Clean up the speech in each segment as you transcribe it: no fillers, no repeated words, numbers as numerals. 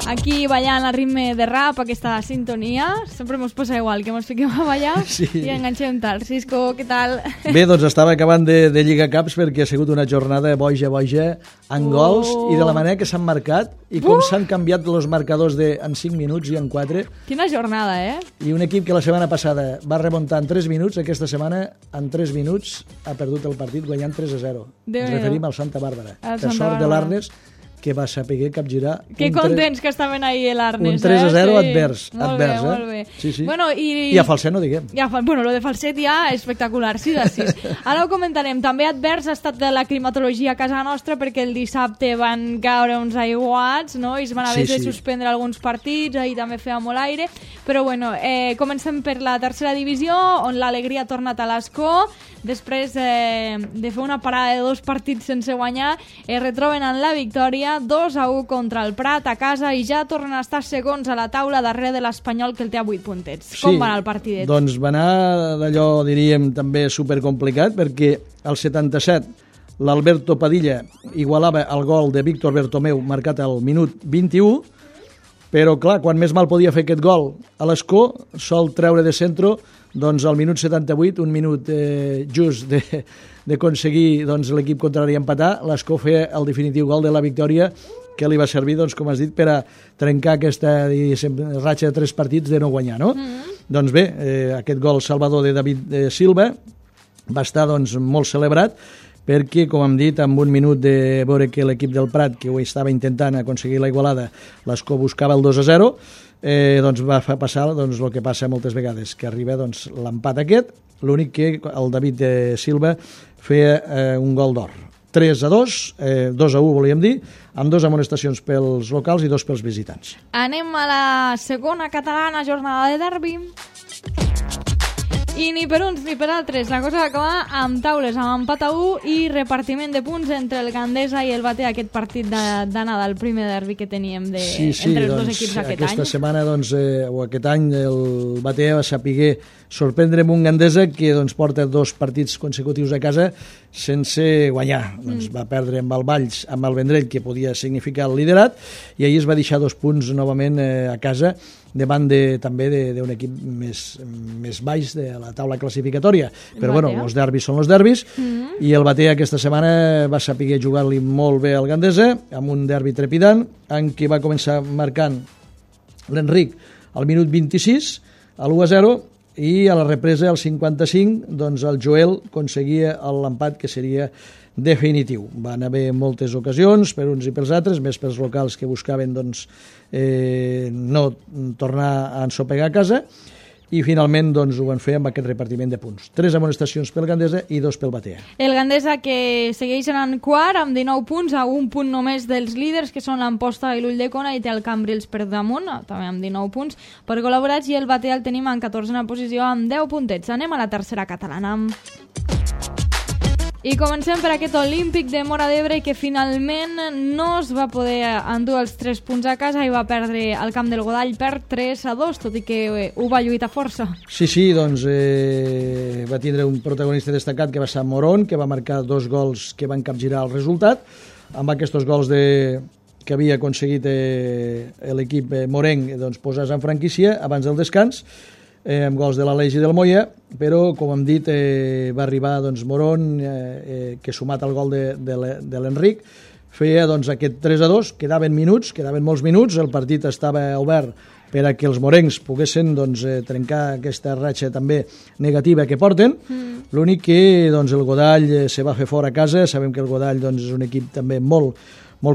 aquí ballant al ritme de rap, aquesta sintonia. Sempre mos posa igual, que mos fiquem a ballar i enganxem tard. Cisco, què tal? Bé, doncs estava acabant de Lliga Caps perquè ha sigut una jornada boja, amb gols i de la manera que s'han marcat i com s'han canviat els marcadors en 5 minuts i en 4. Quina jornada, I un equip que la setmana passada va remuntar en 3 minuts, aquesta setmana en 3 minuts ha perdut el partit guanyant 3-0. Ens referim al Santa Bàrbara. Per sort de l'Arnes, que va saber capgirar... Que contents que estaven ahir l'Arnes. Un 3-0 advers. Molt bé. Sí. Bueno, I a Falset no diguem. Bueno, lo de Falset ja espectacular, 6-6. Ara ho comentarem. També advers ha estat de la climatologia a casa nostra perquè el dissabte van caure uns aiguats, no? I es van haver de suspendre alguns partits, ahir també feia molt aire. Però bueno, comencem per la tercera divisió, on l'alegria ha tornat a l'Escó. Després de fer una parada de 2 partits sense guanyar, es retroben en la victòria 2-1 contra el Prat a casa i ja tornen a estar segons a la taula darrere de l'Espanyol, que el té a 8 puntets. Com va anar el partidet? Doncs va anar d'allò, diríem, també supercomplicat, perquè al 77 l'Alberto Padilla igualava el gol de Víctor Bertomeu marcat al minut 21, però clar, quan més mal podia fer aquest gol a l'Escó, sol treure de centro, doncs al minut 78, un minut just d'aconseguir l'equip contrari empatar, l'Escó feia el definitiu gol de la victòria que li va servir, doncs, com has dit, per a trencar aquesta ratxa de 3 partits de no guanyar, no? Doncs bé, aquest gol salvador de David Silva va estar doncs, molt celebrat perquè, com hem dit, amb un minut de veure que l'equip del Prat, que ho estava intentant aconseguir la igualada, l'Escó buscava el 2-0, doncs va passar el que passa moltes vegades, que arriba l'empat aquest, l'únic que el David Silva feia un gol d'or. 3-2, 2-1 volíem dir, amb 2 amonestacions pels locals i 2 pels visitants. Anem a la segona catalana, jornada de derbi. I ni per uns ni per altres, la cosa va acabar amb taules, amb empat a 1 i repartiment de punts entre el Gandesa i el Batea, aquest partit d'anada, el primer derbi que teníem entre els dos equips aquest any. Aquesta setmana, o aquest any, el Batea va saber sorprendre amb un Gandesa que porta 2 partits consecutius a casa sense guanyar. Va perdre amb el Valls, amb el Vendrell, que podia significar el liderat, i ahir es va deixar 2 punts novament a casa, davant també d'un equip més baix de la taula classificatòria. Però bueno, els derbis són els derbis, i el Batea aquesta setmana va saber jugar-li molt bé al Gandesa, amb un derbi trepidant, en què va començar marcant l'Enric al minut 26, a l'1-0, i a la represa, al 55, doncs el Joel aconseguia l'empat que seria definitiu. Van haver moltes ocasions per uns i pels altres, més pels locals que buscaven no tornar a ensopegar a casa, i finalment ho van fer amb aquest repartiment de punts. 3 amonestacions pel Gandesa i 2 pel Batea. El Gandesa, que segueix en quart amb 19 punts, a un punt només dels líders, que són l'Amposta i l'Ulldecona, i té el Cambrils per damunt, també amb 19 punts per col·laborats, i el Batea el tenim en 14a posició amb 10 puntets. Anem a la tercera catalana. I comencem per aquest Olímpic de Móra d'Ebre, que finalment no es va poder endur els 3 punts a casa i va perdre al camp del Godall per 3-2, tot i que ho va lluitar força. Sí, doncs va tindre un protagonista destacat que va ser Morón, que va marcar 2 gols que van capgirar el resultat. Amb aquests gols que havia aconseguit l'equip morenc posar-se en franquícia abans del descans, amb gols de l'Aleix i del Moya, però, com hem dit, va arribar Morón, que sumat al gol de l'Enric, feia aquest 3-2, quedaven molts minuts, el partit estava obert per a que els morencs poguessin trencar aquesta ratxa també negativa que porten. L'únic que el Godall se va fer fora a casa. Sabem que el Godall és un equip també molt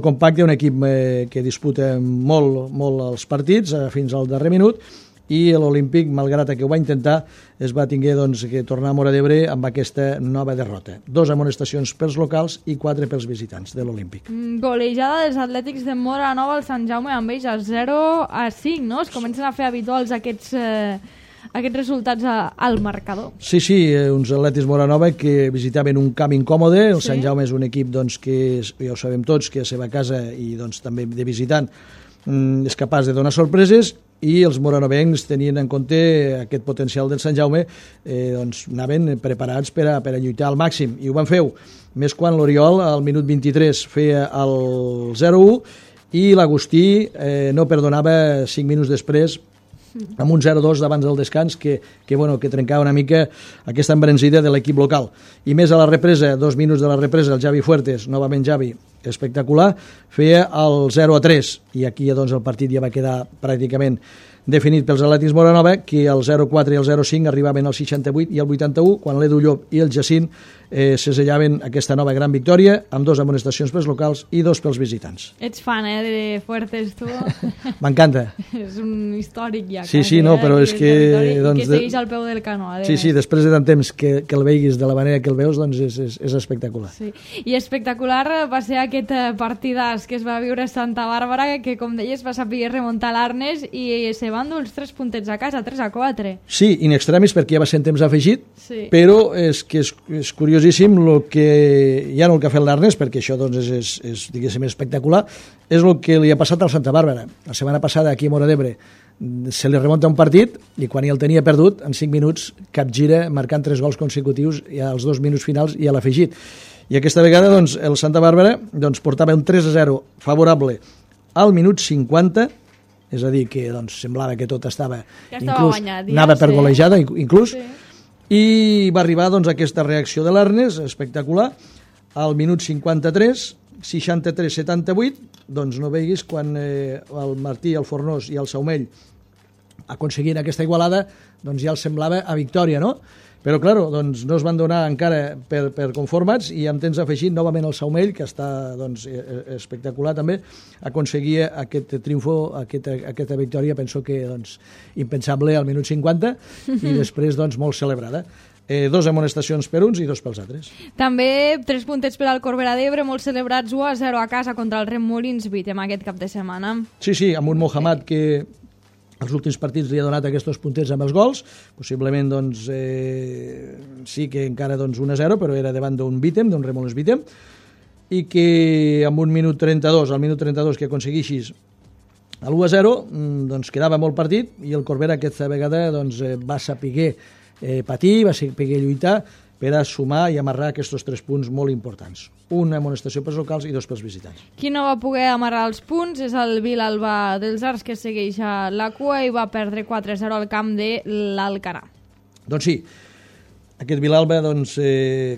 compacte, un equip que disputa molt els partits fins al darrer minut, i l'Olímpic, malgrat que ho va intentar, es va tinguer que tornar a Móra d'Ebre amb aquesta nova derrota. 2 amonestacions pels locals i 4 pels visitants de l'Olímpic. Golejada dels Atlètics de Móra Nova al Sant Jaume amb ells a 0-5, no? Es comencen a fer habituals aquests resultats al marcador. Sí, uns Atlètics Móra Nova que visitaven un camp incòmode. El Sant Jaume és un equip que ja ho sabem tots, que a la seva casa i també de visitant és capaç de donar sorpreses, i els moranovencs, tenint en compte aquest potencial del Sant Jaume, anaven preparats per a lluitar al màxim, i ho van fer, més quan l'Oriol al minut 23 feia el 0-1 i l'Agustí no perdonava 5 minuts després amb un 0-2 d'abans del descans que trencava una mica aquesta embranzida de l'equip local. I més a la represa, 2 minuts de la represa, el Javi Fuertes, novament Javi, espectacular, feia el 0-3 i aquí doncs, el partit ja va quedar pràcticament definit pels Atlètics Moranova, que el 0-4 i el 0-5 arribaven al 68 i al 81, quan l'Edu Llop i el Jacint sesellaven aquesta nova gran victòria, amb 2 amonestacions pels locals i 2 pels visitants. Ets fan, de Fuertes, tu? M'encanta. És un històric ja. Sí, no, però és que... Doncs, que segueix al peu del canó. Sí, després de tant temps que el veiguis de la manera que el veus, doncs és espectacular. Sí. I espectacular va ser aquest partidàs que es va viure a Santa Bàrbara, que, com deies, va saber remuntar l'Arnes i se van dur els 3 puntets a casa, 3-4. Sí, in extremis, perquè ja va ser en temps afegit, sí. Però és que és curiosíssim el que, ja no el que ha fet l'Arnes, perquè això doncs, és diguéssim, espectacular, és el que li ha passat al Santa Bàrbara. La setmana passada, aquí a Móra d'Ebre, se li remunta un partit i quan ja el tenia perdut, en 5 minuts, capgira, marcant 3 gols consecutius ja als 2 minuts finals i a l'afegit. I aquesta vegada doncs, el Santa Bàrbara doncs, portava un 3-0 favorable al minut 50, és a dir, que doncs, semblava que tot estava inclús, guanyat, anava per golejada inclús, sí. I va arribar doncs, aquesta reacció de l'Arnes espectacular al minut 53, 63-78, doncs no veiguis quan el Martí, el Fornós i el Saumell aconseguien aquesta igualada, doncs ja els semblava a victòria, no? Però, clar, doncs, no es van donar encara per conformats i amb temps afegit novament el Saumell, que està doncs, espectacular també, aconseguia aquest triomfo, aquesta victòria, penso que doncs, impensable al minut 50 i després doncs, molt celebrada. 2 amonestacions per uns i 2 pels altres. També 3 puntets per al Corbera d'Ebre, molt celebrats, 1-0 a casa contra el Remolins Vitem aquest cap de setmana. Sí, amb un Mohamed que els últims partits li ha donat aquests puntets amb els gols, possiblement doncs, sí que encara doncs, 1-0, però era davant d'un Vitem, d'un Remolins Vitem, i que amb un minut 32, al minut 32 que aconseguixis l'1-0, doncs quedava molt partit i el Corbera aquesta vegada doncs, va saber patir, va saber lluitar per a sumar i amarrar aquests 3 punts molt importants. Una amonestació pels locals i 2 pels visitants. Qui no va poder amarrar els punts és el Vilalba dels Arts, que segueix a la cua i va perdre 4-0 al camp de l'Alcarà. Doncs sí, aquest Vilalba doncs,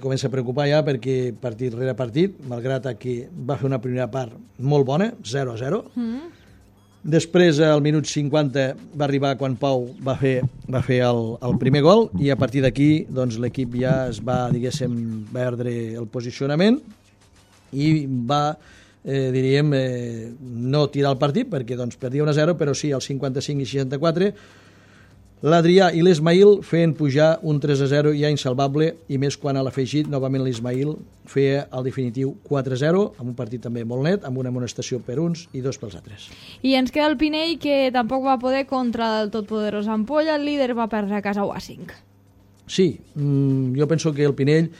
comença a preocupar ja perquè partit rere partit, malgrat que va fer una primera part molt bona, 0-0. Després, al minut 50, va arribar quan Pau va fer el primer gol i a partir d'aquí doncs, l'equip ja es va, diguéssim, perdre el posicionament i va, diríem, no tirar el partit perquè doncs, perdia 1-0, però sí, al 55 i 64, l'Adrià i l'Ismail feien pujar un 3-0 ja insalvable i més quan a l'afegit, novament l'Ismail feia el definitiu 4-0, amb un partit també molt net, amb una amonestació per uns i 2 pels altres. I ens queda el Pinell, que tampoc va poder contra el totpoderós Ampolla, el líder va perdre a casa 1-5. Sí, jo penso que el Pinell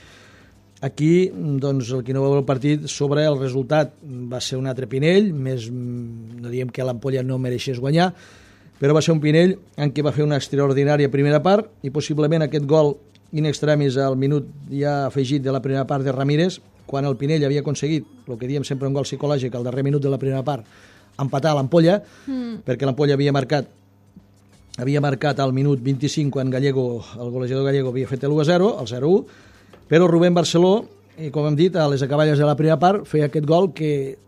aquí, doncs, el que no va veure el partit sobre el resultat va ser un altre Pinell, més no diem que l'Ampolla no mereixés guanyar, però va ser un Pinell en què va fer una extraordinària primera part i possiblement aquest gol in extremis al minut ja afegit de la primera part de Ramírez, quan el Pinell havia aconseguit, el que diem sempre un gol psicològic al darrer minut de la primera part, empatar l'Ampolla, perquè l'Ampolla havia marcat al minut 25 quan Gallego, el golejador Gallego havia fet l'1-0, el 0-1, però Rubén Barceló, i com hem dit, a les acaballes de la primera part feia aquest gol que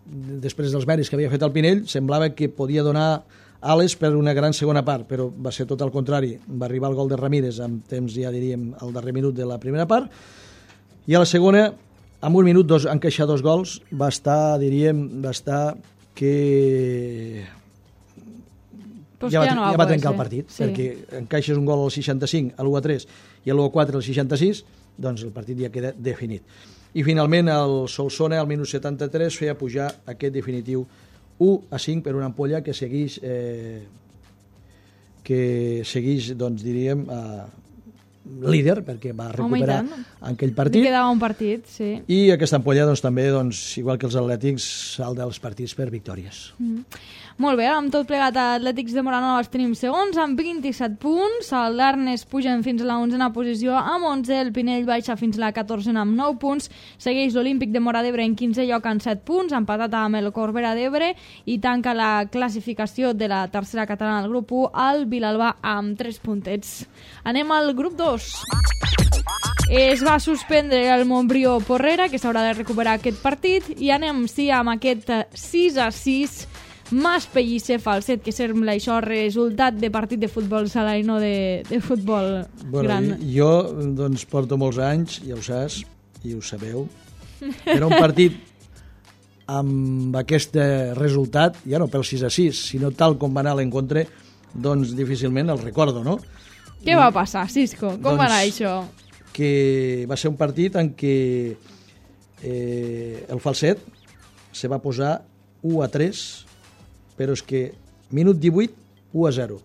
després dels mèrits que havia fet el Pinell semblava que podia donar ales per una gran segona part, però va ser tot al contrari. Va arribar el gol de Ramírez amb temps, ja diríem, al darrer minut de la primera part, i a la segona, amb un minut, encaixar 2 gols, va estar que... Ja va trencar el partit, sí. Perquè encaixes un gol al 65, a l'1-3 i a l'1-4 al 66, doncs el partit ja queda definit. I finalment el Solsona, al minut 73, feia pujar aquest definitiu 1-5 per una Ampolla que segueix, doncs diríem, líder, perquè va recuperar aquell partit. Li quedava un partit, sí. I aquesta ampolla, doncs, també, doncs, igual que els Atlètics, salta dels partits per victòries. Molt bé, amb tot plegat Atlètics de Móra Nova els tenim segons amb 27 punts, el Darnes pugen fins a la 11a posició amb 11, el Pinell baixa fins a la 14a amb 9 punts, segueix l'Olímpic de Móra d'Ebre en 15è lloc amb 7 punts, empatat amb el Corbera d'Ebre, i tanca la classificació de la tercera catalana del grup 1 al Vilalba amb 3 puntets. Anem al grup 2. Es va suspendre el Montbrió Porrera, que s'haurà de recuperar aquest partit, i anem amb aquest 6-6 Mas Pellicer Falset, que sembla això resultat de partit de futbol sala i no de futbol gran. Jo, doncs, porto molts anys, ja ho saps, i ho sabeu. Era un partit amb aquest resultat, ja no pel 6-6, sinó tal com va anar l'encontre, doncs difícilment el recordo, no? Què va passar, Cisco? Com va anar això? Que va ser un partit en què el Falset se va posar 1-3, però és que minut 18, 1-0.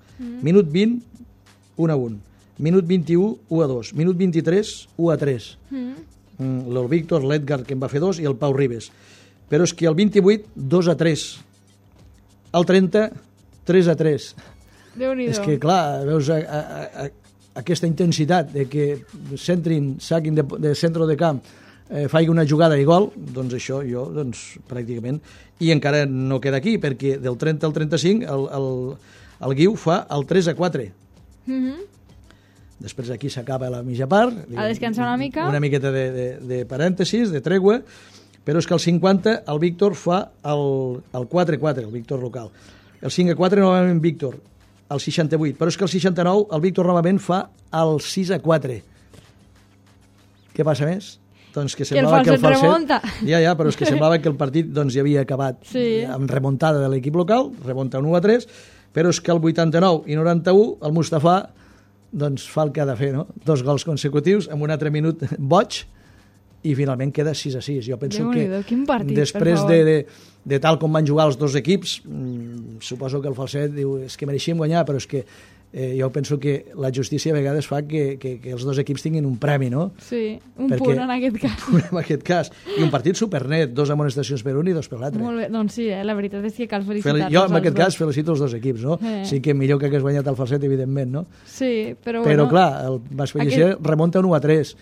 Minut 20, 1-1. Minut 21, 1-2. Minut 23, 1-3. El Víctor, l'Edgar, que en va fer 2, i el Pau Ribes. Però és que el 28, 2-3. El 30, 3-3. Déu-n'hi-do. És que, clar, veus aquesta intensitat de que centrin, saquin de centre de camp, faig una jugada i gol, doncs això jo, doncs, pràcticament, i encara no queda aquí, perquè del 30 al 35 el Guiu fa el 3-4. Després aquí s'acaba la mitja part. A descansar una mica. Una miqueta de parèntesis, de tregua, però és que el 50 el Víctor fa el 4-4, el Víctor local. El 5-4 novament Víctor, el 68, però és que el 69 el Víctor novament fa el 6-4. Què passa més? Doncs que semblava que el Falset remunta. Ja, però és que semblava que el partit doncs, ja havia acabat amb remuntada de l'equip local, remunta un 1-3, però és que el 89 i 91 el Mustafà doncs, fa el que ha de fer, no? 2 gols consecutius amb un altre minut boig i finalment queda 6-6. Jo penso que partit, després de tal com van jugar els dos equips, suposo que el Falset diu és que mereixíem guanyar, però és que jo penso que la justícia a vegades fa que els dos equips tinguin un premi, no? Sí, punt en aquest cas. En aquest cas. I un partit supernet, 2 amonestacions per un i 2 per l'altre. Molt bé, doncs sí, la veritat és que cal felicitar-los. Jo en aquest cas felicito els dos equips, no? Sí que millor que hagués guanyat el Falset, evidentment, no? Sí, però bueno... Però clar, el Mas Pellicer remunta un 1-3.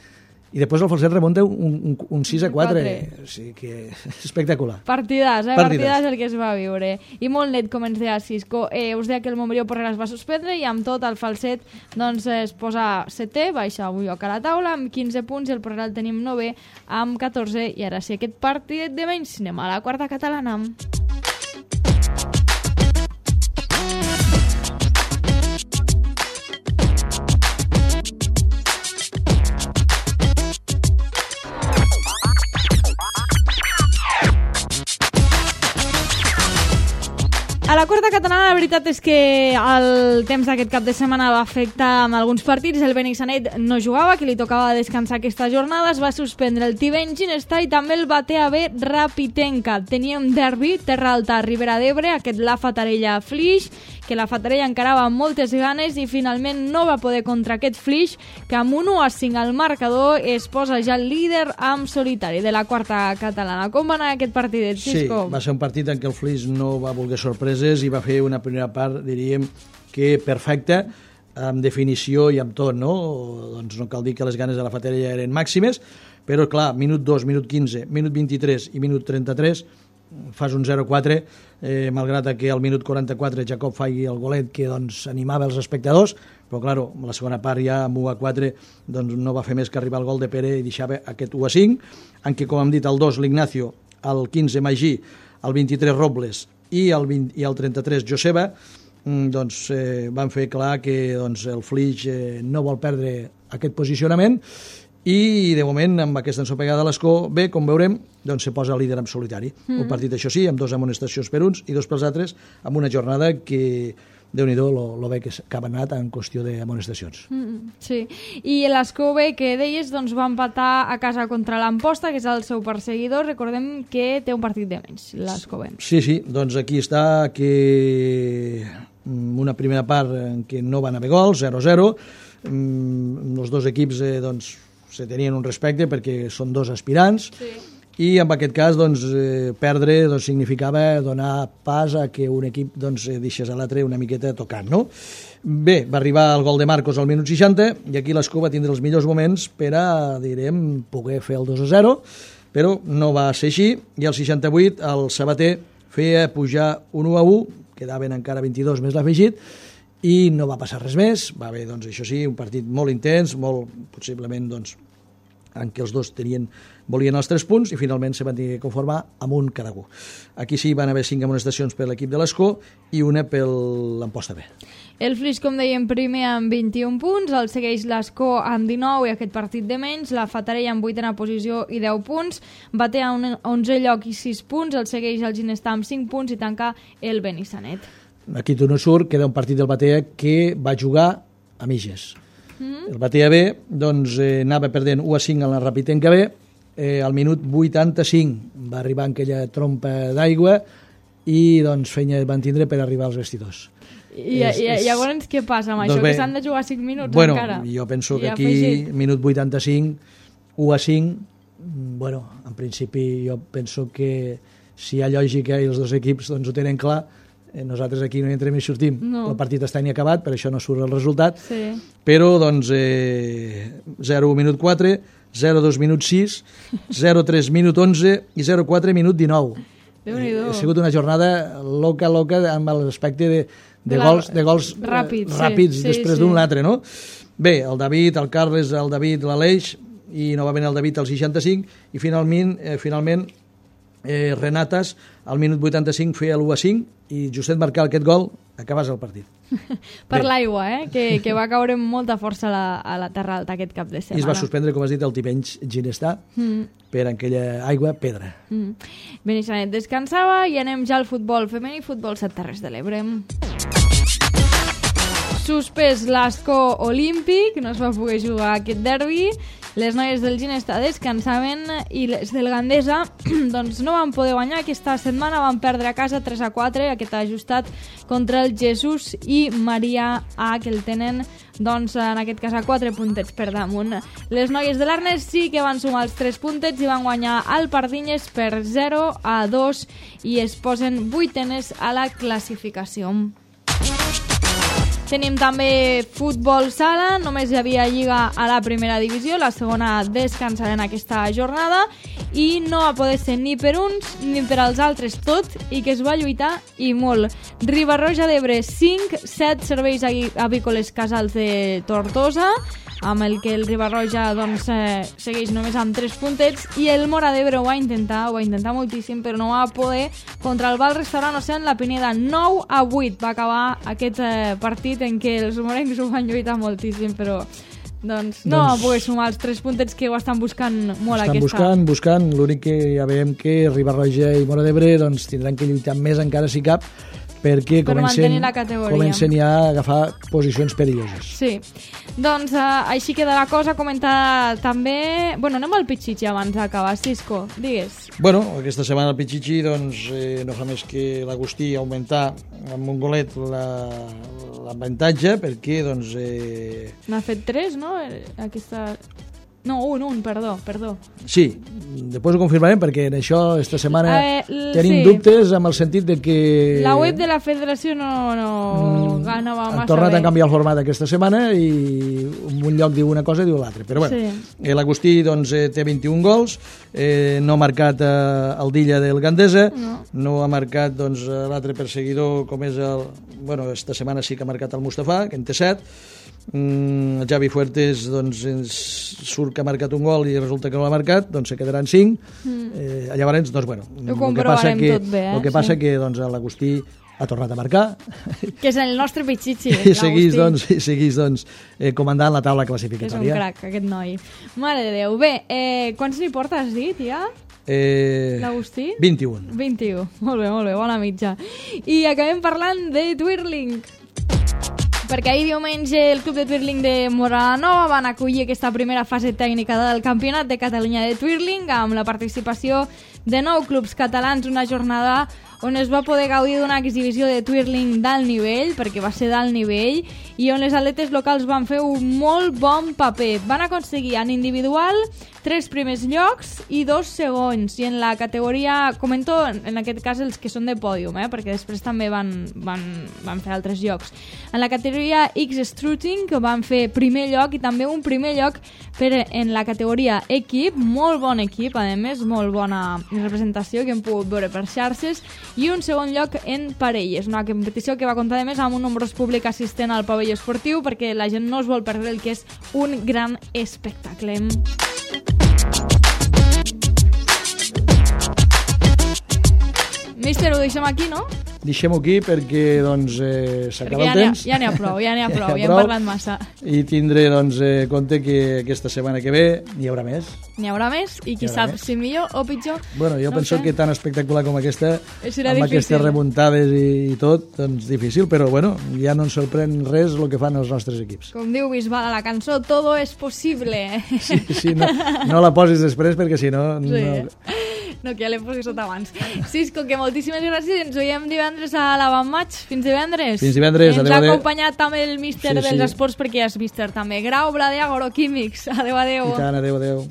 I després el Falset remunta un 6-4. O sigui que espectacular. Partidàs, partidàs el que es va viure. I molt net, com ens deia Cisco. Us deia que el Montbrió Porrera es va suspendre i amb tot el Falset doncs, es posa 7è, baixa un lloc a la taula amb 15 punts i el Porrera el tenim 9è amb 14. I ara sí, aquest partit de menys, anem a la quarta catalana. A la quarta catalana la veritat és que el temps d'aquest cap de setmana va afectar amb alguns partits. El Benissanet no jugava, que li tocava descansar aquesta jornada. Es va suspendre el Tivent Ginestar i també el BTAB Rapitenca. Teníem derbi, Terra Alta, Ribera d'Ebre, aquest la Fatarella Flix, que la Fatarella encarava amb moltes ganes i finalment no va poder contra aquest Flix, que amb un 1-5 al marcador es posa ja el líder amb solitari de la quarta catalana. Com va anar aquest partit, Cisco? Sí, va ser un partit en què el Flix no va voler sorpreses i va fer una primera part, diríem, que perfecta, amb definició i amb tot, no? Doncs no cal dir que les ganes de la Fatarella eren màximes, però clar, minut 2, minut 15, minut 23 i minut 33 fas un 0-4, malgrat que al minut 44 Jacob faci el golet que doncs, animava els espectadors, però claro, la segona part ja amb 1-4 doncs, no va fer més que arribar al gol de Pere i deixava aquest 1-5, en què, com hem dit, el 2 l'Ignacio, el 15 Magí, el 23 Robles i el 33 Joseba, doncs, van fer clar que doncs, el Flix no vol perdre aquest posicionament i de moment amb aquesta ensopegada a l'escó bé, com veurem, doncs se posa líder en solitari. Un partit, això sí, amb 2 amonestacions per uns i 2 pels altres, amb una jornada que Déu-n'hi-do lo bé que ha anat en qüestió d'amonestacions. Sí, i l'Escó B que deies doncs, va empatar a casa contra l'Amposta, que és el seu perseguidor. Recordem que té un partit de menys, l'Escó B. Sí, doncs aquí està que una primera part en què no van haver gols, 0-0, els dos equips doncs, se tenien un respecte perquè són dos aspirants, i en aquest cas doncs, perdre doncs, significava donar pas a que un equip doncs, deixés a l'altre una miqueta tocant, no? Bé, va arribar el gol de Marcos al minut 60 i aquí l'Escó va tindre els millors moments per a, direm, poder fer el 2-0, però no va ser així, i al 68 el Sabater feia pujar un 1-1, quedaven encara 22 més l'afegit, i no va passar res més. Va haver, doncs, això sí, un partit molt intens, molt, possiblement, doncs, en què els dos volien els 3 punts i finalment se van tenir que conformar amb un cada un. Aquí sí van haver 5 amonestacions per l'equip de l'Escó i una per l'Amposta B. El Flix, com dèiem, primer amb 21 punts, el segueix l'Escó amb 19 i aquest partit de menys, la Fatarella amb 8ª posició i 10 punts, Batea a 11è lloc i 6 punts, el segueix el Ginestar amb 5 punts i tanca el Benissanet. Aquí tu no surt, queda un partit del Batea que va jugar a mitges. El Batea B doncs, anava perdent 1-5 en la Rapitenca B, al minut 85 va arribar en aquella trompa d'aigua i doncs feina van tindre per arribar als vestidors. I llavors què passa amb això? Doncs bé, que s'han de jugar 5 minuts encara? Jo penso que aquí, minut 85, 1-5, bueno, en principi jo penso que si hi ha lògica i els dos equips doncs, ho tenen clar, nosaltres aquí no hi entrem i sortim. No. El partit està ni acabat, per això no surt el resultat. Sí. Però, doncs, 0-1 minut 4, 0-2 minut 6, 0-3 minut 11 i 0-4 minut 19. Ha sigut una jornada loca amb l'aspecte de gols ràpids després d'un l'altre, no? Bé, el David, el Carles, el David, l'Aleix, i novament el David al 65, i finalment Renatas al minut 85 feia l'1-5 i justet marcar aquest gol acabàs el partit. Per l'aigua, que va caure amb molta força a la Terra Alta aquest cap de setmana. I es va suspendre, com has dit, el Tivenys Ginestar per aquella aigua pedra. Benissanet descansava i anem ja al futbol femení, futbol 7 Terres de l'Ebre. Suspès l'Escó Olímpic, no es va poder jugar aquest derbi. Les noies del Ginestar descansaven i les del Gandesa doncs no van poder guanyar aquesta setmana, van perdre a casa 3-4, aquest ajustat contra el Jesús i Maria A, que el tenen doncs, en aquest cas a 4 puntets per damunt. Les noies de l'Arnes sí que van sumar els 3 puntets i van guanyar al Pardinyes per 0-2 i es posen 8enes a la classificació. Tenim també futbol sala, només hi havia lliga a la primera divisió, la segona descansarà en aquesta jornada i no va poder ser ni per uns ni per als altres tot i que es va lluitar i molt. Riba-roja d'Ebre 5, 7 serveis avícoles Casals de Tortosa, amb el que el Riba-roja doncs, segueix només amb 3 puntets i el Mora d'Ebre ho va intentar moltíssim, però no va poder contra el Val Restaurant Ocean La Pineda. 9-8 va acabar aquest partit en què els morencs ho van lluitar moltíssim, però doncs no va poder sumar els 3 puntets que ho estan buscant molt aquesta. Buscant, l'únic que ja veiem que Riba-roja i Mora d'Ebre doncs, tindran que lluitar més encara si cap, perquè comencen ja a agafar posicions perilloses. Sí, doncs així queda la cosa. Comentar també... Bueno, anem al Pichichi abans d'acabar. Cisco, digues. Bueno, aquesta setmana el Pichichi doncs, no fa més que l'Agustí augmentar amb un golet l'avantatge, perquè doncs... N'ha fet 3, no? Aquesta... No, un, perdó. Sí, després ho confirmarem perquè en això esta setmana tenim dubtes amb el sentit de que... La web de la federació no ganava massa bé. Han tornat a canviar el format aquesta setmana i un lloc diu una cosa i diu l'altra. Però bueno, l'Agustí doncs, té 21 gols, no ha marcat el Dilla del Gandesa, no ha marcat doncs, l'altre perseguidor com és el... Bueno, esta setmana sí que ha marcat el Mustafa, que en té 7. El Javi Fuertes doncs, surt que ha marcat un gol i resulta que no l'ha marcat, doncs se quedaran 5. Llavors, doncs, bueno, el que passa que doncs, l'Agustí ha tornat a marcar, que és el nostre Pichichi, i seguís comandant la taula classificatòria. És un crac aquest noi, mare de Déu. Bé, quants n'hi porta, has dit ja? L'Agustí? 21. Molt bé, bona mitja. I acabem parlant de Twirling, perquè ahir diumenge el Club de Twirling de Moranova van acollir aquesta primera fase tècnica del Campionat de Catalunya de Twirling amb la participació de 9 clubs catalans, una jornada on es va poder gaudir d'una exhibició de twirling d'alt nivell, perquè va ser d'alt nivell, i on les atletes locals van fer un molt bon paper. Van aconseguir en individual 3 primers llocs i 2 segons, i en la categoria, comento en aquest cas els que són de pòdium, perquè després també van fer altres llocs. En la categoria X-Strutting van fer primer lloc i també un primer lloc en la categoria equip, molt bon equip, a més, molt bona representació que hem pogut veure per xarxes, i un segon lloc en parelles, una competició que va comptar a més amb un nombrós públic assistent al pavelló esportiu perquè la gent no es vol perdre el que és un gran espectacle. Míster, ho deixem aquí, no? Deixem-ho aquí perquè s'acaba el temps. Ja n'hi ha prou, ja hem parlat massa. I tindré compte que aquesta setmana que ve n'hi haurà més. N'hi haurà més, i qui sap si millor o pitjor. Bueno, jo penso que tan espectacular com aquesta, amb aquestes difícil. Remuntades i tot, doncs difícil, però bueno, ja no ens sorprèn res el que fan els nostres equips. Com diu Bisbal a la cançó, todo es posible. Sí, no la posis després perquè si no... No, que ja l'hem posat abans. Cisco, que moltíssimes gràcies. Ens veiem divendres a l'Avantmatch. Fins divendres. Fins divendres. Ens ha acompanyat també el míster dels esports, perquè ja és míster també. Grau, Blader, Agroquímics. Adéu. I tant, adéu.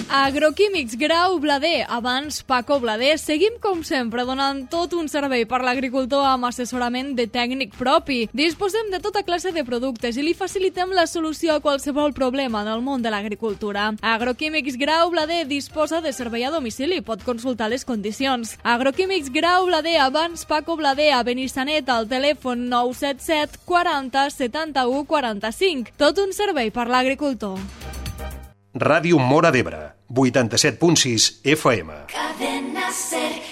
Agroquímics Grau Blader, abans Paco Blader. Seguim com sempre donant tot un servei per l'agricultor amb assessorament de tècnic propi. Disposem de tota classe de productes i li facilitem la solució a qualsevol problema en el món de l'agricultura. Agroquímics Grau Blader disposa de servei a domicili, pot consultar les condicions. Agroquímics Grau Blader, abans Paco Blader, a Benissanet, al telèfon 977 40 71 45. Tot un servei per l'agricultor. Ràdio Móra d'Ebre, 87.6 FM. Cadena Ser.